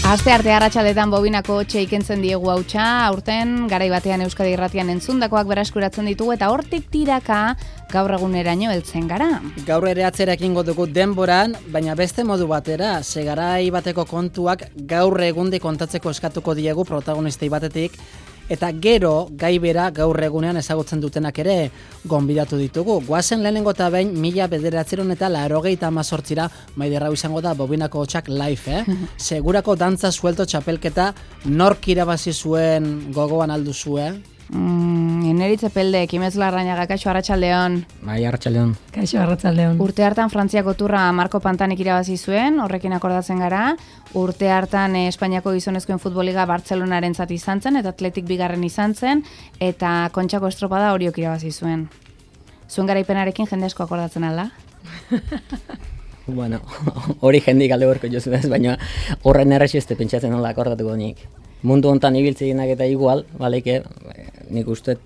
Astearte arratsaletan bobinako hotxe ikentzen diegu hautsa, aurten garai batean Euskadi Irratian entzundakoak berreskuratzen ditugu eta hortik tiraka gaur eguneraino heltzen gara. Gaur ere atzera ekingo dugu denboran, baina beste modu batera, ze garai bateko kontuak gaur egundi kontatzeko eskatuko diegu protagonistei batetik, eta gero gai bera gaur egunean ezagutzen dutenak ere gonbidatu ditugu. Goazen lehenengo eta behin 1988 Maider hau izango da bobinako hotxak live, Segurako dantza suelto txapelketa nork irabazi zuen gogoan alduzue? Eneritze Pelde, Kimez Larrañaga, kaixo arratsaldeon. Bai, arratsaldeon. Kaixo arratsaldeon. Urte hartan Frantziako turra Marko Pantanik irabazi zuen, horrekin akordatzen gara. Urte hartan Espainiako gizonezkoen futboliga Bartzelonarentzat izan zen, eta Atletik bigarren izan zen, eta Kontxako estropada Oriok irabazi zuen. Zuen garaipenarekin jende asko akordatzen ala? Bueno, hori jendik alde horko jozu ez, baina horren errexiste pentsatzen nola akordatuko nik. Mundu hontan ibiltzenak eta igual, baleke, nik usteet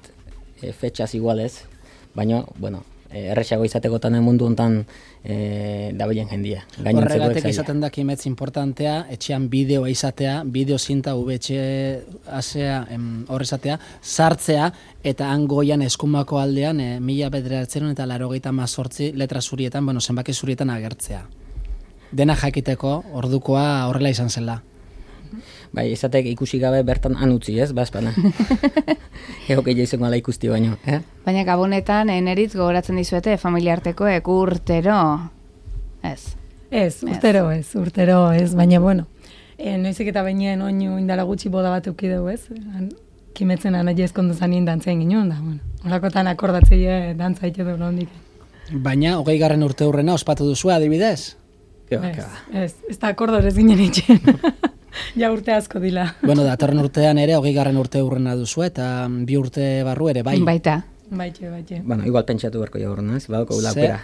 fetxaz igualez, baina, bueno, errexago izatekotan mundu hontan dabilen jendia. Horregatek izaten da kimetz importantea, etxean bideoa izatea, bideo zinta VHS-a horrezatea, sartzea, eta hangoian eskumako aldean 1988 letra zurietan, bueno, zenbaki zurietan agertzea. Dena jakiteko ordukoa horrela izan zela. Bai, izatek ikusi gabe bertan anutzi, ez, bazpana. Egoke jaizeko ala ikusti baino, Baina gabonetan, Eneritz gogoratzen dizuete, familiartekoek urtero, ez? Ez, urtero ez, baina bueno, noizik eta bainien oinu indala gutxi boda bat eukideu, ez? Kimetzen anaia ezkondu zanien dantzain ginen, da, bueno, holakotan akordatzei dantza ite du nondik. Baina, 20. urte hurrena ospatu duzu adibidez? Ez da akordorez ginen itxen. Ja urte asko dila. Bueno, datorren urtean ere 20. urte hurrena duzu eta 2 urte barru ere, bai? Baita. Baite. Bueno, igual pentsatu berko jagurren, ez? Badoko aukera.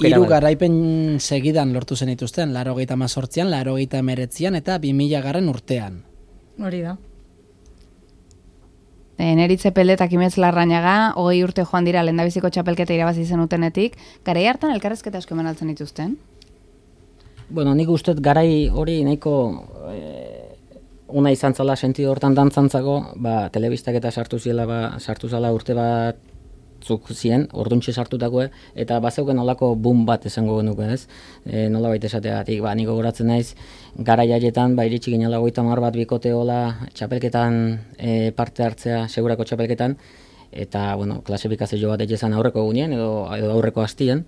Hiru garaipen segidan lortu zen ituzten, 88an, 89an eta 2000. urtean. Hori da. Eneritze Pelde eta Kimez Larrañaga, 20 urte joan dira lehendabiziko txapelketa irabazi zenutenetik, garai hartan elkarrezketa asko eman altzen dituzten? Bueno, nik uste garai hori nahiko una izan zala sentido hortan dantzantzako, telebistak eta sartu zala urte batzuk ziren, orduntxe sartutakoe, eta bazeuken nolako boom bat esango genuke, ez? Nola baita esateagatik, nik gogoratzen naiz, garai haietan, iritsi ginela 50 bat bikote hola txapelketan parte hartzea, segurako txapelketan, eta, bueno, klasifikazio bat egizan aurreko egunien, edo aurreko hastien,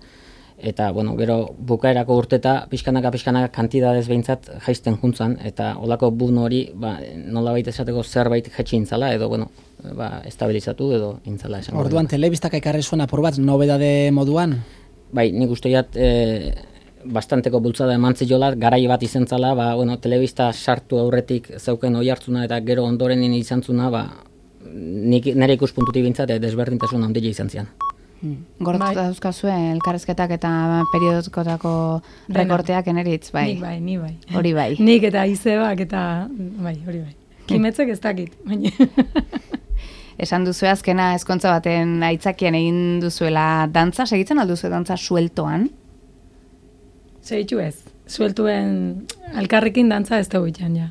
eta, bueno, gero bukaerako urteta pixkanaka kantidadez behintzat jaisten juntzan, eta olako bun hori, nola baita esateko zerbait jetxi intzala, edo, bueno, estabilizatu edo intzala esan. Orduan, telebistak ekarri zuen apur bat, nobedade moduan? Bai, nik usteat bastanteko bultzada emantzi jola, garai bat izentzala, bueno, telebista sartu aurretik zeuken oi hartzuna, eta gero ondoren izantzuna, nire ikuspuntutik bintzat, desberdintasun handia izan zian. Gortuta dauzkazue elkarrezketak eta periodikotako rekorteak Eneritz, bai. Ni bai. Hori bai. Nik eta Izebak eta, hori bai. Kimetzek ez dakit, baina. Esan duzu azkena ezkontza baten aitzakian egin duzuela dantza, segitzen alduzu dantza sueltoan? Segitu ez. Sueltuen alkarrekin dantza ez dugu itxan, ja.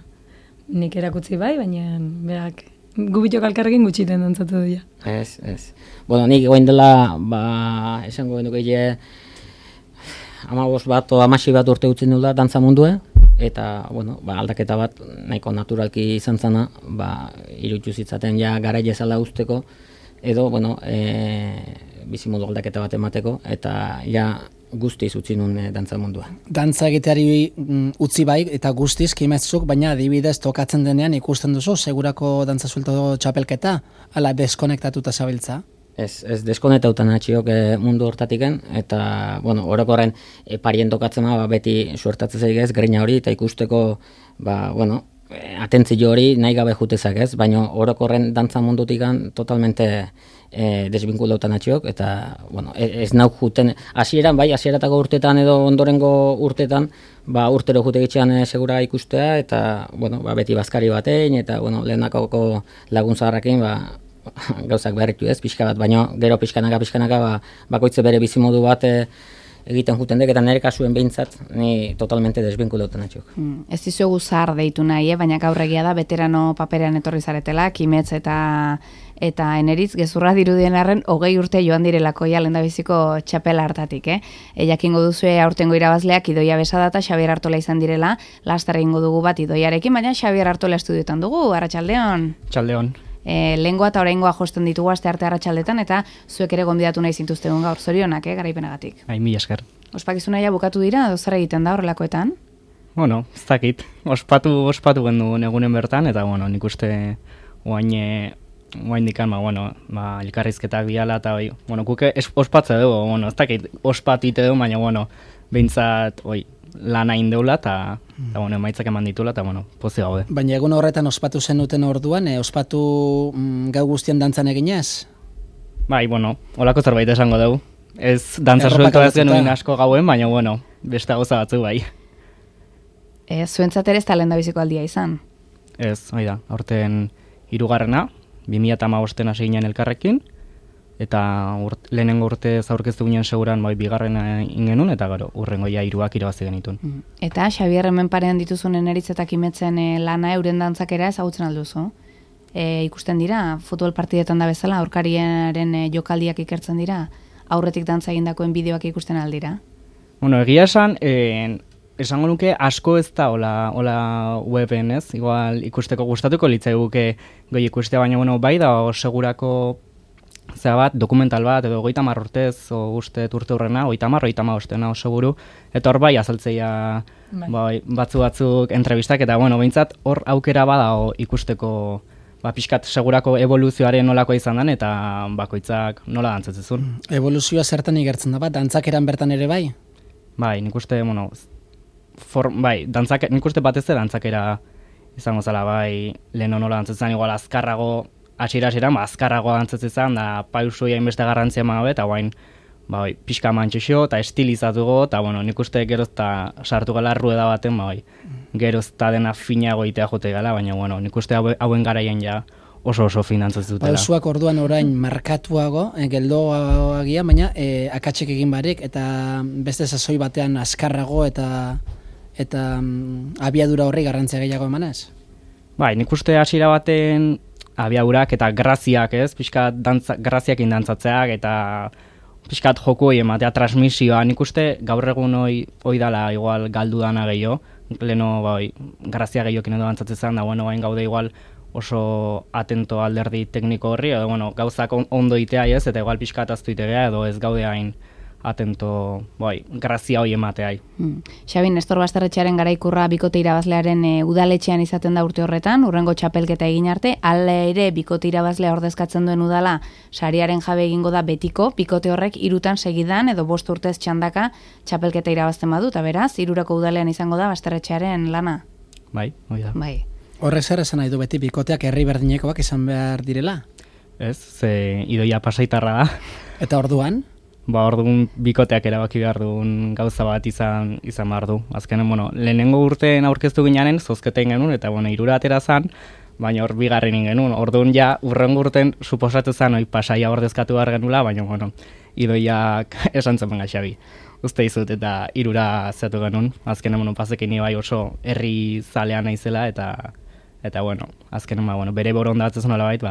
Nik erakutzi bai, baina berak gubitok alkarrekin gutxiten dantzatu du, ja. Ez. Bueno, nik goen dela, esango genuke 15 bat o 16 bat urte utzin dula dantza mundue, eta, bueno, aldaketa bat nahiko naturalki izan zana, irutzu zitzaten ja garai ezala usteko, edo, bueno, bizimodu aldaketa bat emateko, eta ja guztiz utzi nun dantza mundua. Dantza egiteari utzi bai, eta guztiz kimetzuk, baina adibidez tokatzen denean ikusten duzu, segurako dantza suelto txapelketa, ala deskonektatuta zabiltza? Ez deskonektautan atxiok mundu hortatiken, eta, bueno, orokorren parien tokatzen beti suertatzen zaigez, grina hori, eta ikusteko, bueno, atentzio hori nahi gabe jutezak ez, baina orokorren dantza mundutikan totalmente desbinkulautan atxiok, eta, bueno, ez nauk juten, hasieratako urtetan edo ondorengo urtetan, urtero jutegitxean segura ikustea, eta, bueno, beti bazkari batein, eta, bueno, lehenakoko laguntzaharrakin, gauzak berritu ez, pixka bat, baina gero pixkanaka, bakoitze bere bizimodu bat egiten juten dek, eta nire kasuen behintzat, ni totalmente desbinkulautan atxok. Ez dizuegu zahar deitu nahi, baina gaur egia da, veterano paperean etorri zaretela, Kimetz eta Eneritz, gezurra dirudien arren, 20 urte joan direlako ja lehendabiziko txapela hartatik, jakingo duzue aurtengo irabazleak Idoia Besada eta Xabier Artola izan direla, laster egingo dugu bat Idoiarekin, baina Xabier Artola estudiotan dugu, arratsaldeon. Txaldeon. Lehengoa eta oraingoa josten ditugu astearte arratsaldetan eta zuek ere gonbidatu nahi zintuztegun gaur, zorionak, garaipenagatik. Mila esker. Ospakizuna ja bukatu dira, edo zer egiten da horrelakoetan? Bueno, ez dakit. Ospatu genuen egunen bertan, eta nik uste oain dikan, elkarrizketak biala, eta guk ospatze dugu, ez dakit, ospatite dugu, baina, behintzat, lana indeula, eta emaitzak eman ditula, eta pozi gaude. Baina egun horretan ospatu zenuten orduan, ospatu gau guztien dantzan eginez? Bai, holako zerbait esango dugu. Ez dantza suelto ez genuen asko gauen, baina, beste gauza batzu bai. Zuentzat ere ez da lehendabiziko aldia izan? Ez, da, aurten 3. 2015 hasi ginen elkarrekin, eta lehenengo urte zaurkeztu ginen seguran bigarrena ingenun, eta gero, urrengo ja 3 irabazi genitun. Eta Xabier hemen parean dituzunen Eneritz eta Kimetzen lana euren dantzakera ezagutzen alduzu? Ikusten dira, futbol partidetan da bezala, aurkariaren jokaldiak ikertzen dira, aurretik dantza egindakoen bideoak ikusten aldira? Egia esango nuke asko ez da hola weben, ez? Igual ikusteko gustatuko litzaiguke goi ikustea, baina bai da segurako dokumental bat, edo 30 urtez, uste urte hurrena, 30 seguru, eta hor bai azaltzeia batzuk entrevistak, eta behintzat hor aukera bada ikusteko pixkat segurako evoluzioaren nolako izan den, eta bakoitzak nola dantzatzezun. Evoluzioa zertan igertzen da bat, dantzakeran bertan ere bai? Bai, nik uste, nik uste batez dantzakera izango zela, bai, lehen nola dantzatzen, igual azkarrago, hasiera-hasieran azkarrago dantzatzen, da pausoia inbeste garrantzia emabe, eta guain, pixka mantxixo, eta estilizatugo, eta nik uste gerozta sartu gala rueda baten, gerozta dena finago itea jote gala, baina nik uste hauen garaien ja oso fin dantzatzen dutela. Pausoak orduan orain markatuago, geldoagia, baina akatsek egin barik, eta beste sasoi batean azkarrago, eta abiadura horri garrantzia gehiago emanez? Bai, nik uste hasiera baten abiadurak eta graziak, ez? Pixkat graziakin dantzatzeak eta pixkat joku hori ematea, transmisioa. Nik uste gaur egun hoi dala igual galdu dana gehiago. Leno grazia gehiokin edo dantzatzen zen, da bain gaude igual oso atento alderdi tekniko horri, edo gauzak ondo itea ez, eta igual pixkat aztu itegea, edo ez gaude hain atento, grazia hoi emateai. Xabi, Nestor Basterretxearen garaikurra bikote irabazlearen udaletxean izaten da urte horretan, urrengo txapelketa egin arte, hala ere bikote irabazlea ordezkatzen duen udala, sariaren jabe egingo da betiko, bikote horrek 3 segidan edo 5 urtez txandaka txapelketa irabazten badu, eta beraz, 3 udalean izango da Basterretxearen lana. Bai, hoi da. Bai. Horrek zer esan nahi du beti bikoteak herri berdinekoak izan behar direla? Ez, ze Idoia Pasaitarra da. Eta orduan? Orduan bikoteak erabaki behar duen gauza bat izan behar du. Azkenen, lehenengo urteen aurkeztu ginean, zozketen genuen, eta 3 atera zan, baina hor bigarren genuen. Orduan ja, urrengo urten suposatu zan, Pasaia ordezkatu behar genula, baina, Idoiak esan zen benga Xabi. Uste izut, eta 3 zeatu genuen. Azkenen, pasekin bai oso herri zalea naizela, eta azkenen, bere borondatzen nola bait,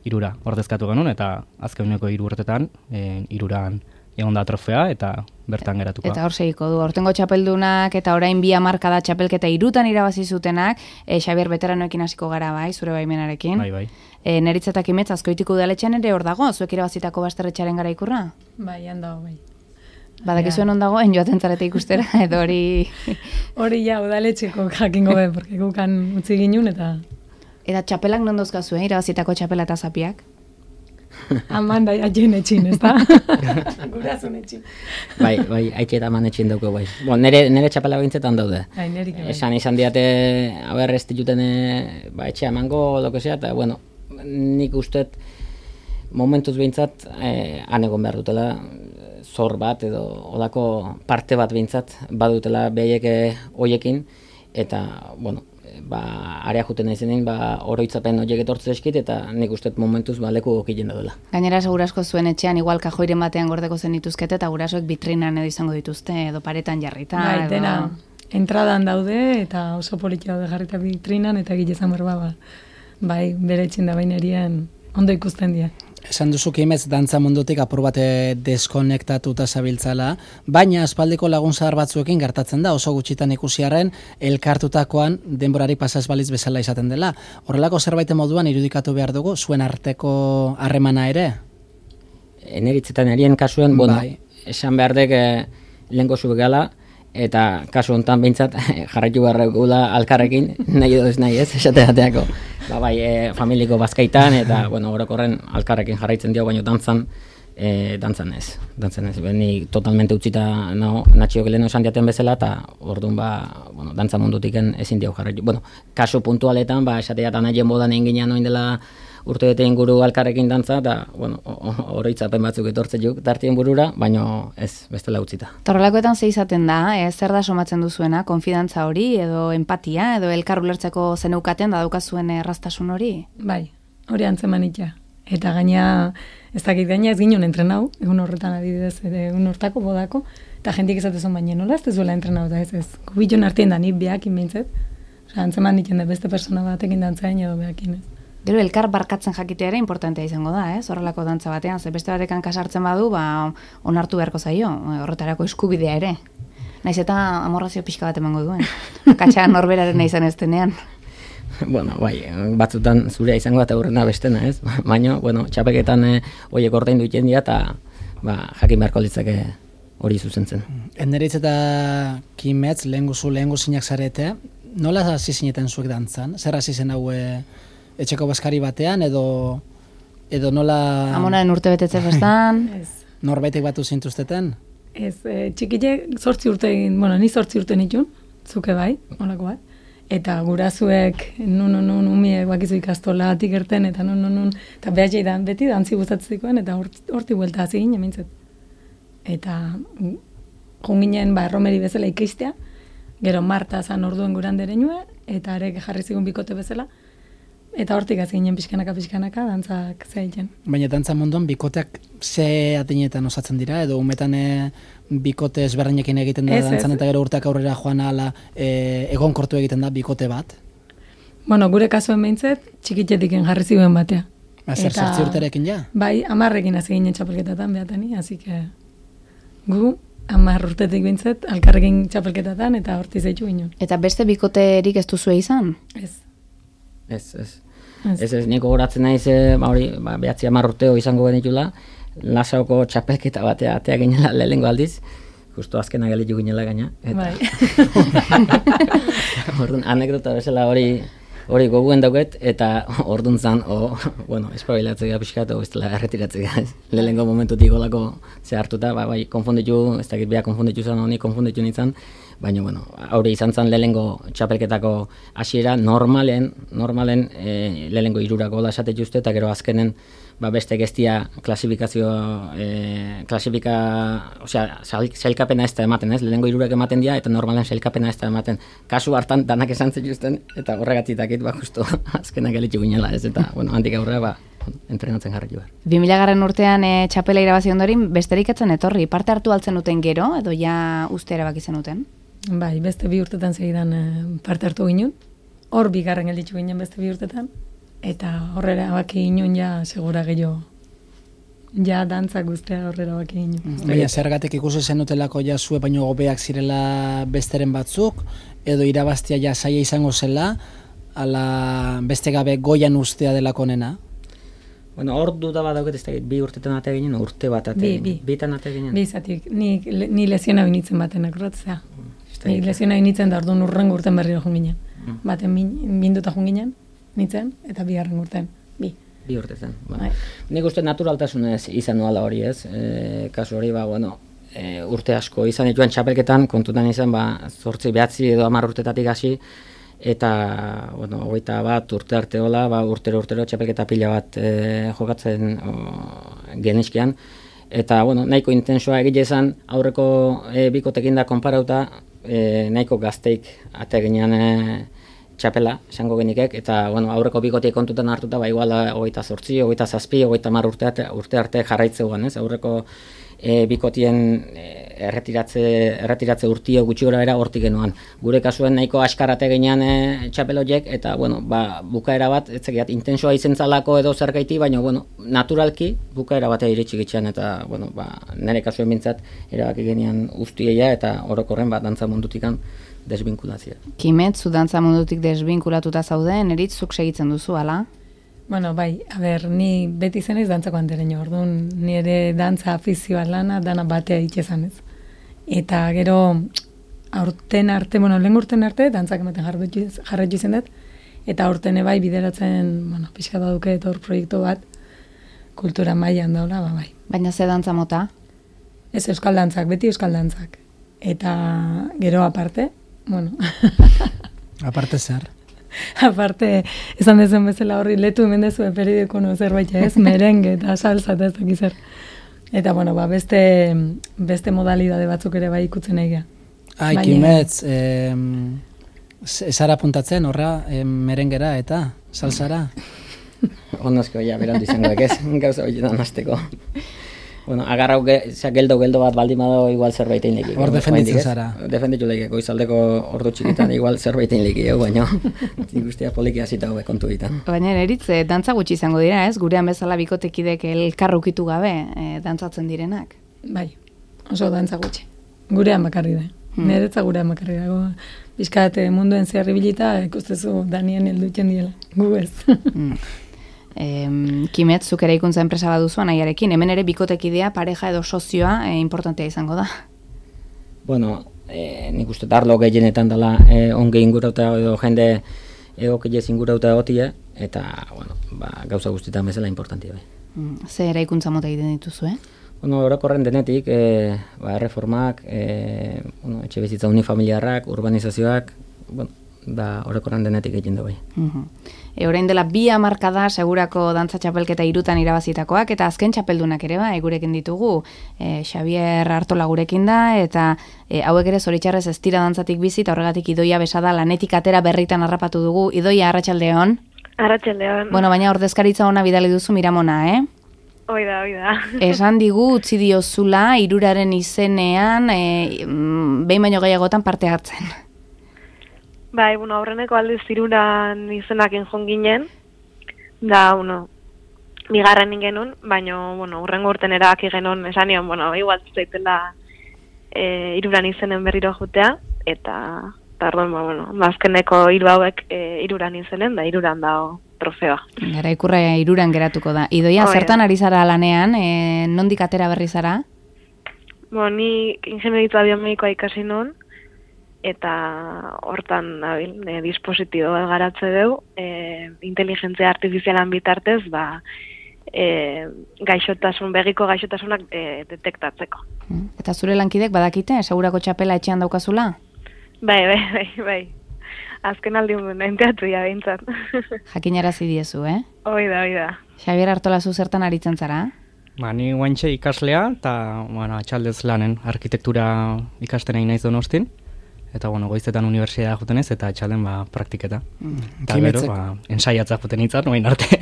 3 ordezkatu genuen, eta azkeneko 3 urtetan, 3 egon da trofea, eta bertan geratuko. Eta hor segiko du, hortengo txapeldunak, eta orain 2 hamarkada txapelketa 3 irabazi zutenak, Xabier veteranoekin hasiko gara bai, zure baimenarekin. Bai. Neritz eta Kimetz Azkoitiko udaletxean ere hor dago, zuek irabazitako Basterretxearen garaikurra? Bai, handago, bai. Badakizuen ondagoen joaten zarete ikustera, edo hori... Hori ja, udaletxeko jakingo be, porque gukan utzi ginun, eta... Eta txapelak non dozkazue, irabazitako txapela eta zapiak? Amanda, haien etxin, ez da? Gurazun etxin. Bai, haitxe eta man etxin dauko, bai. Nere txapela behintzetan daude. Nerik, bai. Izan diate, ez dituten etxe amango, lokesea, eta, nik ustet momentuz behintzat anegon behar dutela, zor bat edo olako parte bat behintzat badutela behaiek hoiekin, eta, area juten naizenein, oroitzapen horiek etortze eskit, eta nik uste momentuz leku okien daudela. Gainera, segurasko zuen etxean, igual kajoiren batean gordeko zen dituzkete, eta gurasoek vitrinan edo izango dituzte, edo paretan jarrita. Bai, dena, entradan daude, eta oso politia daude jarrita vitrinan, eta gilezan berba, bai, bere etxin da bainerian ondo ikusten dira. Esan duzu Kimez dantza mundutik apur bate deskonektatuta zabiltzala, baina aspaldiko lagun zahar batzuekin gertatzen da, oso gutxitan ikusiarren elkartutakoan denborari pasaz baliz bezala izaten dela. Horrelako zerbait moduan irudikatu behar dugu, zuen arteko harremana ere? Eneritzetan erien kasuen, esan behar dek lehenko zube gala, eta kasu honetan behintzat jarraitu beharrekula alkarrekin, nahi edo ez nahi ez, esateateako. Familiko bazkaitan, eta, orokorren alkarrekin jarraitzen dio, baina dantzan ez. Ni totalmente utzita natxiok leheno esan diaten bezala, eta orduan dantza mundutiken ezin dio jarraitu. Kasu puntualetan, esateatan nahien bodan egin ginean oin dela urte bete inguru alkarrekin dantza, eta oroitzapen batzuk etortzen juk tartien burura, baina ez, bestela utzita. Torrelakoetan ze izaten da, zer da somatzen duzuena, konfidantza hori, edo empatia, edo elkar ulertzeko zeneukaten da daukazuen erraztasun hori? Bai, hori antzeman itxa. Eta gaina, ez dakit gaina ez ginen entrenau, egun horretan adibidez, egun hortako bodako, eta jentik ezatezun baina nola, ez duzuela entrenau, da ez. Kubiton artien da, ni behakin behintzet, antzeman itxen da beste persona batekin dantzain edo behakin ez. Gero, elkar barkatzen jakitea ere importantea izango da, horrelako dantza batean, ze beste batekan kasartzen badu, onartu beharko zaio, horretarako eskubidea ere. Naiz eta amorrazio pixka bat emango duen, katxan norberaren izan ez denean. Batzutan zurea izango eta aurrena bestena, ez? Baina, txapeketan horiek ordaindu iten dira, eta jakin beharko litzake hori zuzentzen. Eneritz eta Kimetz, lehengu zinak zarete, nola hasi zineten zuek dantzan? Zer hasi zen hau etxeko bazkari batean, edo nola... Amonaren urte betetze festan. Norbaitek batu zintuzteten? Ez, txikile 8 urte egin, ni 8 urte nitun, zuke bai, holako bat. Eta gurazuek, nun, umiek bakizu ikastola atik erten, eta nun, eta behatxei da, beti dantzi gustatzikoen, eta horti buelta hasi ginen, mintzet. Eta junginen, erromeri bezala ikeistea, gero Marta zan orduen gurandere nue, eta arek jarri zigun bikote bezala, eta hortik hasi ginen pixkanaka, dantzak zeiten. Baina dantza munduan bikoteak ze atinetan osatzen dira, edo umetan bikote ezberdinekin egiten da dantzan, eta gero urteak aurrera joan ala egonkortu egiten da bikote bat? Gure kasuen behintzet, txikitetiken jarri ziren batea. Zer zertzi urterekin ja? Bai, 10ekin hasi ginen txapelketatan behatani, hasi que gu 10 urtetik behintzet, alkarrekin txapelketatan, eta horti zeitu ginen. Eta beste bikoterik ez duzue izan? Ez, niko goratzen naiz, behatzi 10 urteo izango genitula, Lasaoko txapelketa batea atea ginela lehengo aldiz, justo azkena galitu ginela gaina. Bai. Orduan, anekdota bezala hori goguen dauket, eta orduan zan, espabilatzea pixkat, ez dela erretiratzea. Lehengo momentutik golako ze hartuta, konfunditu, ez dakit beha konfunditu zan, honi konfunditu nintzen, baina, haure izan zen lehengo txapelketako hasiera normalen lehengo 3 gola esatet juste, eta gero azkenen beste gestia sailkapena ez da ematen, ez? Lehengo 3 ematen dira, eta normalen sailkapena ez da ematen. Kasu hartan danak esan zetuzten, eta horregatik justo azkenak gelitu ginela, ez? Eta, handik aurrera, entrenatzen jarri behar. 2000 urtean txapela irabazi ondorin, besterik etzen etorri, parte hartu altzen duten gero, edo ja uste erabaki zenuten? Bai, beste 2 urtetan segidan parte hartu ginen, hor bigarren gelditu ginen beste 2 urtetan, eta horrela baki ginen ja segura gehiago. Ja dantzak guztia horrela baki ginen. Baina zergatik ikusi zenutelako ja zue baino gobeak zirela besteren batzuk, edo irabaztia ja saia izango zela, ala beste gabe goian ustea delako nena? Hor duda bat dauket ez da, 2 urtetan atea ginen, urte bat atea ginen. Bitan atea ginen. Bizatik, ni lesiona binitzen baten akordatzea. Ni lesiona binitzen da orduan urrengo urten berriro joan ginen. Baten binduta joan ginen, nintzen, eta 2. urten. 2 urtetan. Nik uste naturaltasunez izan nuala hori ez. Kasu hori, urte asko izan dituen txapelketan, kontutan izan, 8, 9 edo 10 urtetatik hasi, eta, 21 urte arte hola, urtero txapelketa pila bat jokatzen genizkian, eta, nahiko intensoa egite izan, aurreko bikotekin da konparauta, nahiko gazteik ate ginean txapela, esango genikek, eta bueno, aurreko bikotiek kontutan hartuta, ba, igual 28, 27, 30 urte arte jarraitzeugan, ez? Aurreko bikotien erretiratze urtio gutxi gora bera hortik genuan. Gure kasuen nahiko askarate ginean txapeloiek, eta bueno, ba, bukaera bat, etzekiat, intensoa izentzalako edo zergaiti, baina bueno, naturalki bukaera batea iritsi gitxean, eta bueno, ba, nire kasuen bintzat erabaki genean ustieia, eta orokorren bat dantza mundutikan desbinkulazioa. Kimet, zu dantza mundutik desbinkulatuta zauden, erit zuk segitzen duzu, ala? Bueno, bai, ni beti zen ez dantzako antereño, orduan nire dantza afizioa lana dana batea itxezan ez. Eta gero aurten arte, lehen urten arte, dantzak ematen jarretxu izen dut, eta aurten bai bideratzen, pixka da duke hor proiektu bat, kultura mailan daula, bai. Baina ze dantza mota? Ez euskal dantzak, beti euskal dantzak. Eta gero aparte, Aparte zer? Aparte, esan dezen bezala horri letu hemen dezu periodikono zerbait ez, merengue eta salsa eta ez dakiz zer. Eta beste modalidade batzuk ere bai ikutzen egia. Kimetz, zara puntatzen horra merengera eta salsara? Ondozko, berandu izango ez, gauza horietan hasteko. Bueno, agarrau geldo bat baldin badago igual zerbaitein leki. Hor defenditzen zara. Defenditu leki, goizaldeko ordu txikitan igual zerbaitein leki, baina guztia poliki hasita hobe kontu ditan. Baina eritze, dantza gutxi izango dira, ez? Gurean bezala bikotekidek elkarrukitu gabe dantzatzen direnak. Bai, oso dantza gutxi. Gurean bakarri da. Niretza gurean bakarri dago. Bizkat munduen zehar ibilita ikustezu Danien heldutzen diela. Gu ez. Kimet, zuk ere ikuntza enpresa baduzu anaiarekin, hemen ere bikotekidea, pareja edo sozioa importantea izango da. Bueno, nik uste arlo gehienetan dela onge ingurauta edo jende egokilez ingurauta egotia, eta bueno, gauza guztietan bezala importantia bai. Ze ere ikuntza mota egiten dituzu, Bueno, orokorren denetik, erreformak, etxe bizitza unifamiliarrak, urbanizazioak, bueno, orokorren denetik egiten da bai. Orain dela 2 hamarkada segurako dantza txapelketa 3 irabazitakoak, eta azken txapeldunak ere gurekin ditugu. Xabier Artola gurekin da, eta hauek ere zoritxarrez ez dira dantzatik bizi, eta horregatik Idoia Besada lanetik atera berritan harrapatu dugu. Idoia, arratsaldeon. Arratsaldeon. Bueno, baina ordezkaritza ona bidali duzu Miramona, Oida. Esan digu utzi diozula 3 izenean, behin baino gehiagotan parte hartzen. Bai, aurreneko aldiz 3 izenakin joan ginen, da, bigarren genuen, baina, urrengo urten erabaki genuen, esan nion, igual zaitela 3 izenen berriro jutea, eta orduan, azkeneko 3 hauek 3 izenen, da 3 dago trofeoa. Gara ikurra 3 geratuko da. Idoia, zertan ari zara lanean, nondik atera berri zara? Ni ingenieritza biomedikoa ikasi nun, eta hortan dispositibo garatze dugu, inteligentzia artifizialan bitartez, begiko gaixotasunak detektatzeko. Eta zure lankidek badakite, segurako txapela etxean daukazula? Bai. Azken aldi enteatu ja behintzat. Jakinarazi diezu, Oida. Xabier Artola, zu zertan aritzen zara? Ni guantxe ikaslea, eta atxaldez lanen arkitektura ikasten egin naiz Donostin. Eta, goizetan unibertsitatea juten ez, eta atxalden praktiketa. Eta gero, ensaiatza juten itzat, noin arte.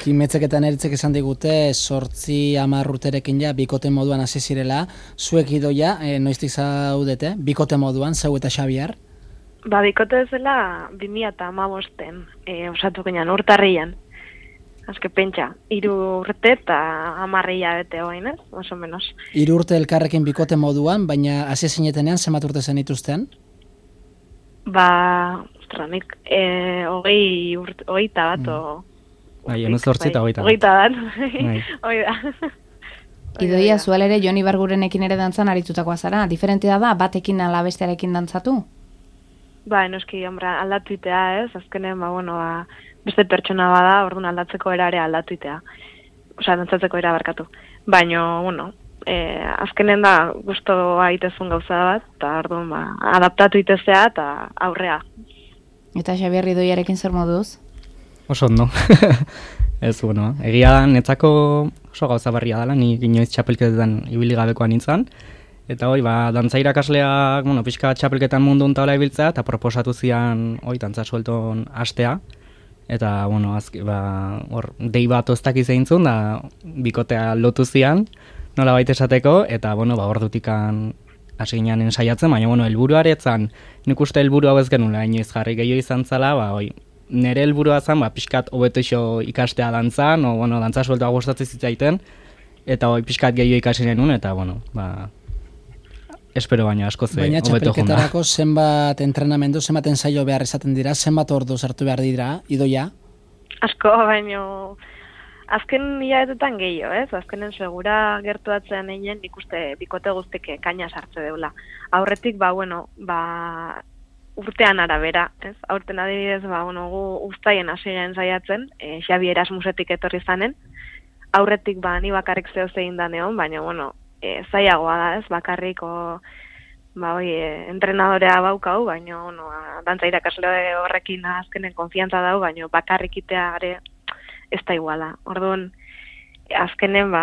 Kimetzek eta neritzek esan digute, 8-10 urterekin bikote moduan hasi zirela. Zuek Idoia, noiztik zaudete, bikote moduan, zeu eta Xabier? Bikote zela 2015-en, osatu ginen, urtarrian. Azke pentsa, 3 urte eta 10 hilabete hoain, oso menos. 3 urte elkarrekin bikote moduan, baina hasi zinetenean zenbat urte zenituzten? Nik 20 bat, Bai, 18 eta 20 bat. 20 bat, oida. Idoia, zual ere Jon Ibargurenekin ere dantzan aritutakoa zara. Diferentea da, batekin ala bestearekin dantzatu? Noski, aldatu itea ez, azkenen, beste pertsona bada, orduan aldatzeko era ere aldatu itea. Dantzatzeko era barkatu. Baina, azkenen da gustoa itezun gauza bat, eta orduan, adaptatu itezea eta aurrea. Eta Xabier Idoiarekin zer moduz? Oso ondo. Ez, egia da, netzako oso gauza berria dela, ni inoiz txapelketetan ibili gabekoa nintzen, Eta dantza irakasleak, pixka txapelketan mundu hola ibiltzea, eta proposatu zian, dantza suelton hastea. Eta, hor, dei bat oztak izeintzun, da bikotea lotu zian, nola baita esateko, eta, hor dutikan hasi ginen ensaiatzen, baina, helburuaretzan, nik uste helburu hau ez genula, inoiz jarri gehiago izan zala, nire helburua zen, pixkat hobeto iso ikastea dantzan, dantza sueltoa gustatzen zitzaiten, eta pixkat gehiago ikasi genuen, eta, espero baina asko ze baina hobeto junda. txapelketarako zenbat entrenamendu, zenbat ensaio behar izaten dira, zenbat ordu sartu behar dira, idoia? Asko, baino azken hilabetetan gehiago, ez? Azkenen segura gertuatzean egin nik uste bikote guztik kaina sartze deula. Aurretik, urtean arabera, ez? Aurten adibidez, gu uztaien hasiren saiatzen, Xabi Erasmusetik etorri zanen. Aurretik, ni bakarrik zehoz egin da neon, baina, zaiagoa da, ez? Bakarriko, entrenadorea baukau, baina, dantza irakasle horrekin azkenen konfiantza dau, baina bakarrik itea gare ez da iguala. Orduan, azkenen,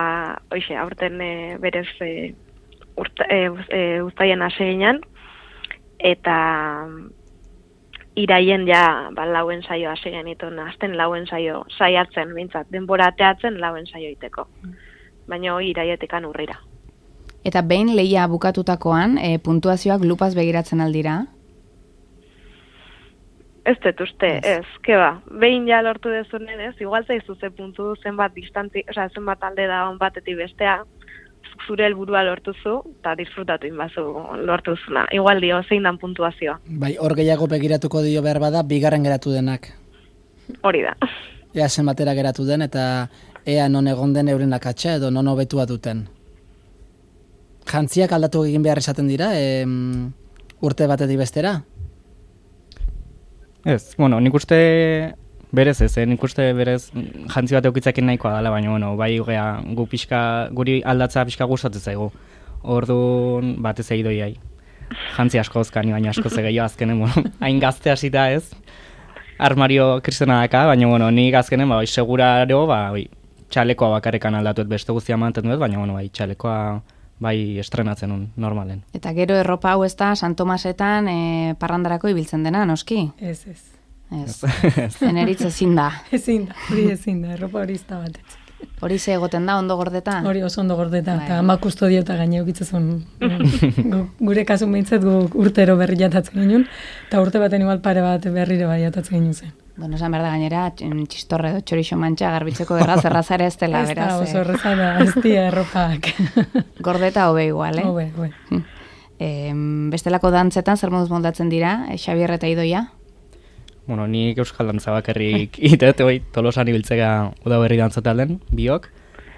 aurten berez uztaien hasiren, eta iraien lauen saio hasi genituen, azten lauen saio saiatzen, bintzat, denbora ateatzen lauen saio iteko. Baina iraietekan urrira. Eta behin lehia bukatutakoan, puntuazioak lupaz begiratzen aldira? Ez dut uste, ez, behin lortu dezunen, ez, igual zaizu ze puntu zenbat zenbat alde da on batetik bestea, zure helburua lortuzu, eta disfrutatu inbazu lortuzuna. Igual dio, zein dan puntuazioa. Bai, hor gehiago begiratuko dio behar bada, bigarren geratu denak. Hori da. Ea zenbatera geratu den, eta ea non egon den euren akatsa, edo non hobetua duten. Jantziak aldatu egin behar esaten dira, urte batetik bestera? Ez, nik uste berez ez, nik uste berez jantzi bat eukitzakin nahikoa dela, baina, guri aldatza pixka gustatzen zaigu. Orduan, batez eidoiai. Jantzi asko ozkani, baina asko zegeio azkenen, hain gazte hasita ez. Armario kristona daka, baina, nik azkenen, seguraro, txalekoa bakarrekan aldatuet beste guztia mantendu ez, baina, txalekoa estrenatzen un, normalen. Eta gero erropa hau ez da, San Tomasetan parrandarako ibiltzen dena, noski? Ez. Eneritz ezin da. Ezin da, erropa hori izta batetzik. Hori ze egoten da, ondo gordeta? Hori oso ondo gordeta, eta ama kustodio eta gaine eukitzezun. Gure kasun behintzat urtero berri jatatzen ginen, eta urte baten igual pare bat berriro bai jatatzen ginen zen. Bueno, esan behar da gainera, txistorre edo txorixo mantxa garbitzeko errazara ez dela, beraz. Ez da, oso errazara, ez dira erropak. Gordeta hobe igual, Hobe. Bestelako dantzetan, zer moduz moldatzen dira, Xabier eta Idoia? Nik euskal dantza bakarrik itet, Tolosan ibiltzega udaberri dantzatalen, biok,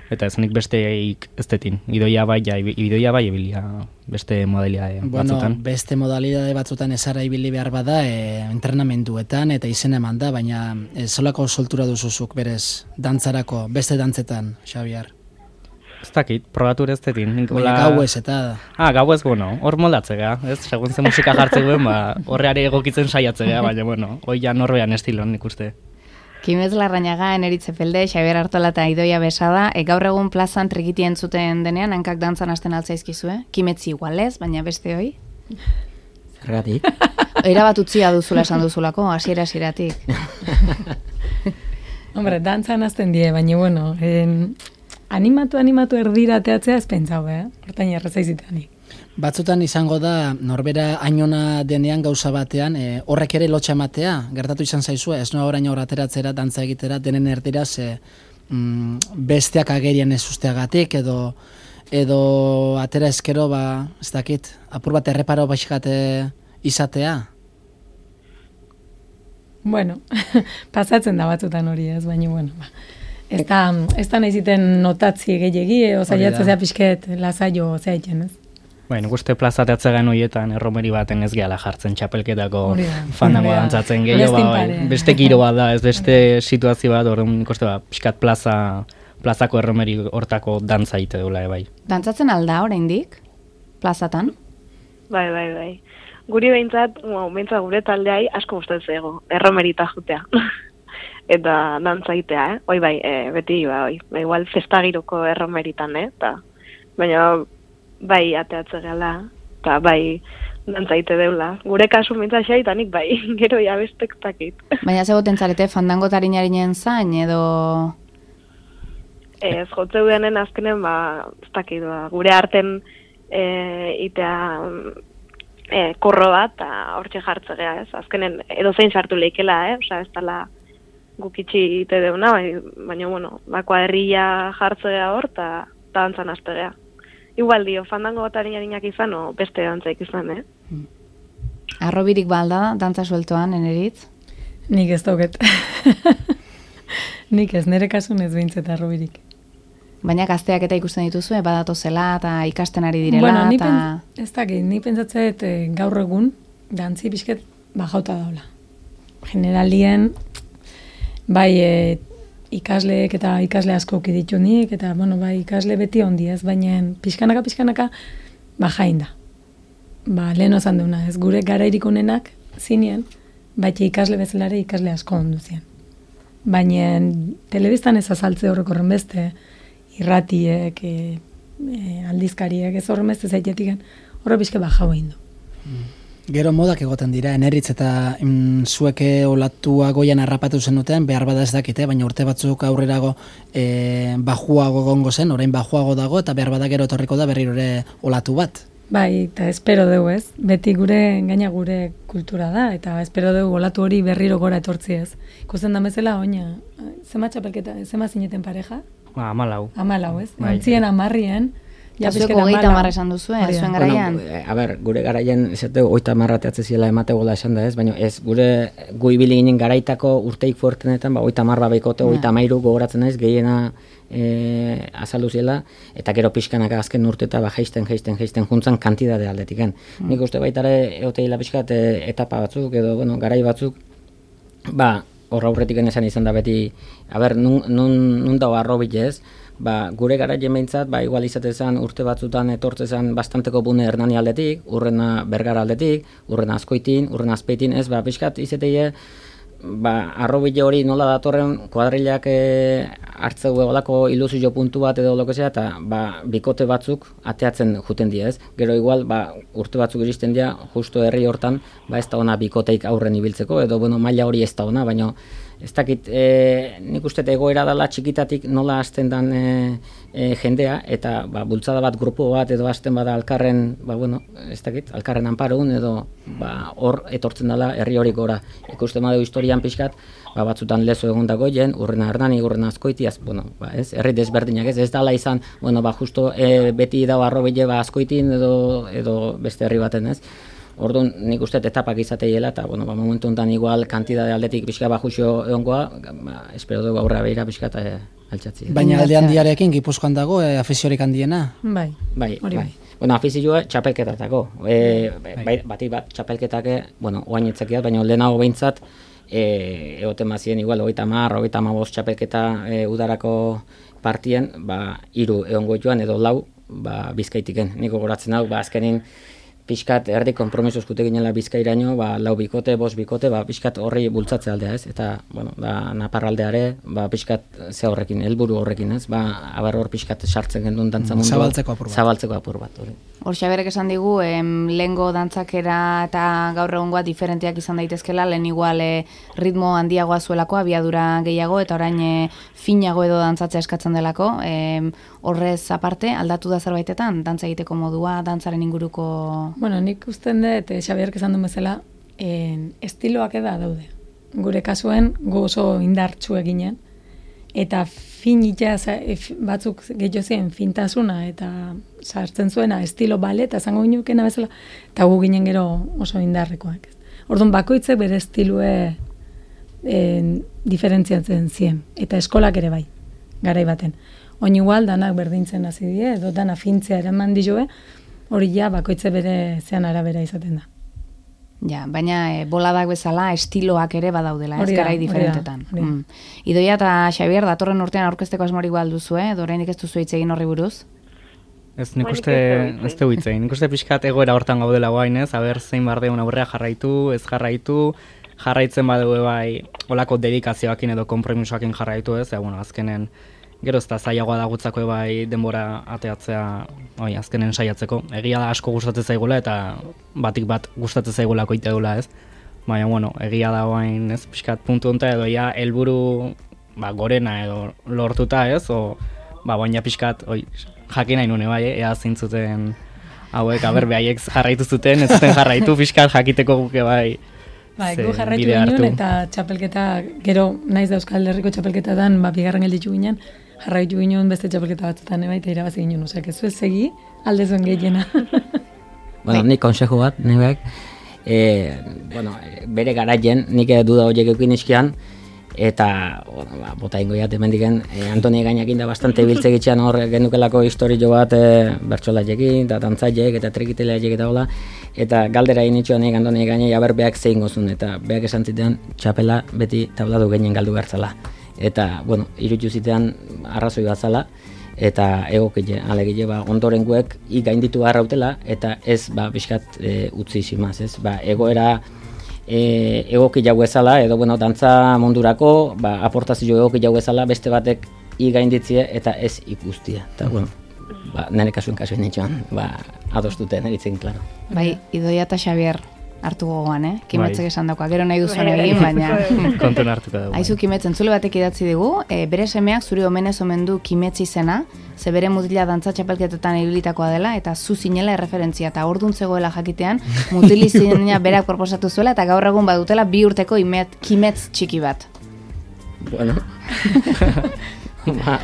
eta ez nik besteik ez detin. Idoia bai ibilia beste modalidade batzutan. Beste modalidade batzutan ezara ibili behar bada, entrenamenduetan eta izen eman da, baina zolako soltura duzuzuk berez dantzarako, beste dantzetan, Xabier? Ez dakit, probatur ez detin. Baina gauez eta... Gauez, hor moldatzea, ez? Segun ze musika jartzeko, horreare egokitzen saiatzea, baina, hoi ja norbean estilon, nik uste. Kimez Larrañaga, Eneritze Felde, Xabier Artola eta Idoia Besada, gaur egun plazan trikiti entzuten denean, hankak dantzan hasten altzaizkizue? Kimetzi igualez, baina beste hoi? Zergatik? Era bat utzia duzula esan duzulako, hasieratik. Hombre, dantzan hasten die, baina, animatu erdira teatzea ez pentsau, hortain errezaizitean. Batzutan izango da, norbera ainona denean gauza batean, horrek ere lotxa ematea, gertatu izan zaizua, ez noa orain ateratzera, dantza egitera, denen erdira, besteak agerian ez usteagatik, edo atera eskero, ez dakit, apur bat erreparo baxikate izatea? Bueno, pasatzen da batzutan hori ez, baina, ez da nahi ziten notatzi gehiagi, osaiatzea pixket lasaio zaiten, ez? Nik uste plazateatze gen horietan erromeri baten ez gehala jartzen txapelketako fandango dantzatzen gehiago, beste giro bat da, ez beste situazio bat, orduan nik uste pixkat plazako erromeri hortako dantza ite dula, bai. Dantzatzen alda oraindik plazatan? Bai. Guri behintzat gure taldeai asko gustatzen zaigu, erromerita jutea. Eta dantza itea, beti, igual festagiroko erromeritan, eta baina bai ateatze gala, eta bai dantzaite deula. Gure kasu mintza xaitanik bai, gero ja bestektakit. Baina zegoten zarete fandango tarinarinen zain edo... Ez, jotze denen azkenen, ez dakit, gure arten itea korro bat, eta hortxe jartzea, ez? Azkenen edo zein sartu leikela, Osa, ez dala gukitxi ite deuna, baina, bueno, kuadrilla jartzea hor, eta dantzan aztegea. Igual dio, fandango tarinarinak izan, o beste dantzaik izan, Arrobirik balda, dantza sueltoan, eneritz? Nik ez dauket. Nik ez, nire kasun ez behintzet arrobirik. Baina gazteak eta ikusten dituzue, badatu zela eta ikasten ari direla. Bueno, ez dakit, ni pentsatzeet gaur egun, dantzi pixket bajauta daula. Generalien, bai ikasleek eta ikasle asko ditu nik, eta bueno, bai ikasle beti ondi ez, baina pixkanaka bajain da. Lehen ozan deuna, ez gure garairik onenak zinien, baita ikasle bezalare ikasle asko onduzien. Baina telebistan ez azaltze horrekorren beste, irratiek, aldizkariek, ez horren beste zaitetiken, horre pixke bajau egin du. Gero modak egoten dira, eneritz eta zueke olatua goian harrapatu zenuten, behar bada ez dakite, baina urte batzuk aurrerago bajuago gongo zen, orain bajuago dago, eta behar bada gero etorriko da berriro ere olatu bat. Bai, eta espero dugu ez, beti gaina gure kultura da, eta espero dugu olatu hori berriro gora etortzi ez. Ikusten da bezala, oina, zema txapelketa, zema zineten pareja? 14. 14, ez? Antzien 10 Ja, zuek 30 esan duzu, zuen garaian? Bueno, gure garaian, esate, 30 ateatze ziela emategola esan da ez, baina ez, gu ibili ginen garaitako urteik fuertenetan, 30 baikote, 33 gogoratzen naiz, gehiena azaldu ziela, eta gero pixkanaka azken urteta jaisten juntzan kantidade aldetiken. Nik uste baitare eoteila pixkat etapa batzuk, edo, garai batzuk, horra aurretik esan izan da beti, nun dago arrobit ez, gure garaien behintzat, igual izatezan urte batzutan etortzezan bastanteko bune Hernani aldetik, urrena Bergara aldetik, urrena Azkoitin, urrena Azpeitin, ez, pixkat izateie, arrobile hori nola datorren kuadrilak hartzeu egolako ilusio puntu bat edo lokezea, eta bikote batzuk ateatzen juten dira, ez? Gero igual, urte batzuk iristen dira, justo herri hortan, ez da ona bikoteik aurren ibiltzeko, edo maila hori ez da ona, baina ez dakit, nik uste egoera dela txikitatik nola hasten dan jendea, eta bultzada bat, grupo bat, edo hasten bada alkarren, ez dakit, alkarren anparun, edo hor etortzen dela herri hori gora. Ikusten badeu historian pixkat, batzutan lezo egon dagoien, urrena Hernani, urrena Azkoiti, ez, herri desberdinak ez dala izan, justo beti dago arrobile Azkoitin edo beste herri baten, ez. Orduan, nik uste etapak izateiela, eta, momentu honetan igual kantidade aldetik pixka bajuxo egongoa, espero dugu aurra behira pixka eta altxatzi. Baina alde handiarekin Gipuzkoan dago, afiziorik handiena? Bai. Afizioa txapelketatako. Bati bat txapelketak, oain etzakiat, baina lehenago behintzat, egoten bazien igual, 30, 35 txapelketa udarako partien, 3 egongo joan edo 4 Bizkaitiken. Niko goratzen hau, azkenin, pixkat erdi kompromiso eskute ginela Bizkairaino, 4 bikote, 5 bikote, pixkat horri bultzatze aldea ez, eta, Naparraldeare, pixkat ze horrekin, helburu horrekin ez, abar hor pixkat sartzen gendun dantza mundu. Zabaltzeko apur bat. Hor Xaberek esan digu, lehengo dantzakera eta gaur egungoa diferenteak izan daitezkela, lehen igual ritmo handiagoa zuelako, abiadura gehiago, eta orain finago edo dantzatzea eskatzen delako. Horrez aparte, aldatu da zerbaitetan, dantza egiteko modua, dantzaren inguruko... Nik usten dut, Xaberek esan duen bezala, estiloak eda daude. Gure kasuen, gu oso indartsu eginen, eta finita batzuk gehiago ziren fintasuna, eta sartzen zuena estilo bale, eta zango ginukena bezala, eta gu ginen gero oso indarrekoak. Orduan, bakoitzek bere estilue diferentziatzen ziren, eta eskolak ere bai, garai baten. Oin igual, danak berdintzen hasi die, edo dana fintzea eraman dizue, hori bakoitze bere zean arabera izaten da. Ja, baina boladak bezala estiloak ere badaudela, ez garai diferentetan. Idoia eta Xabier, datorren urtean aurkezteko asmorik balduzue, edo orainik ez duzu hitz egin horri buruz? Ez, nik uste hitz egin. Nik uste pixkat egoera hortan gaudela guain, ez? Aber zein bardeun aurrea jarraitu, ez jarraitu, jarraitzen badeu bai olako dedikazioakin edo konpromisoakin jarraitu, ez? Azkenen gero ez da zailagoa da gutzako bai denbora ateatzea azkenen saiatzeko. Egia da asko gustatzen zaigula eta batik bat gustatzen zaigula koite dula, ez? Baina, bueno, egia da oain, ez, pixkat puntu honta edo ja helburu gorena edo lortuta, ez? Baina pixkat, jakin nahi nune bai, ea zintzuten hauek, behaiek jarraitu zuten, ez zuten jarraitu pixkat jakiteko guke bai. Gu jarraitu ginen eta txapelketa, gero naiz da Euskal Herriko txapelketatan, bigarren gelditu ginen, jarraitu ginen beste txapelketa batzutan, eta irabazi ginen, osea, ez zuez segi, alde zuen gehiena. Bueno, nik konsejo bat, nibek, bere garaien, nik duda horiek eukin iskian, eta bota ingo jat emendiken Antoni Gainekin da bastante biltzegitxean hor genukelako historio bat bertsolaiekin eta dantzaileek eta trekiteleaiek eta hola, eta galdera initxoan Antoni Gainei aber beak zein gozun, eta beak esan zitean txapela beti tabladu gehien galdu bertzala, eta bueno, irutu zitean arrazoi bat zala, eta egokile, alegile ondoren guek gainditu harrautela, eta ez bizkat utzi simaz, ez, egoera egoki jau ezala, edo dantza mundurako, aportazio egoki jau ezala, beste batek gainditzie eta ez ikustia. Eta, nire kasuen nintxoan, adostuten, eritzen, klaro. Bai, Idoia eta Xabier hartu gogoan, Kimetzek esan dauka, gero nahi duzuen egin, baina... Kontuen hartuko dugu. Aizu Kimetzen, zule batek idatzi digu, bere semeak zuri omenez omen du Kimetz izena, ze bere mutila dantza txapelketetan ibilitakoa dela, eta zu zinela erreferentzia, eta orduan zegoela jakitean, mutili zinena berak proposatu zuela, eta gaur egun badutela 2 urteko Kimetz txiki bat. Bueno,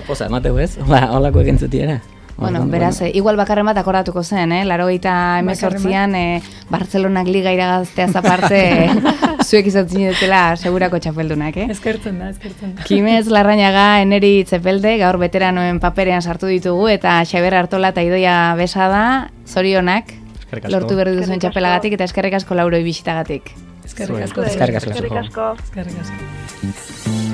posa emateu ez, holako egin zutiera. Bueno, beraz, igual bakarren bat akordatuko zen, 88an Bartzelonak liga iragazteaz aparte zuek izan zinetela segurako txapeldunak, Eskertzen da. Kimetz Larrañaga, Eneri Itzepelde, gaur veteranoen paperean sartu ditugu, eta Xabier Artola eta Idoia Besada, zorionak, lortu berri duzuen txapelagatik, eta eskerrik asko Lauroi bisitagatik. Eskerrik asko. Eskerrik asko. Eskerrik asko. Eskerrik asko.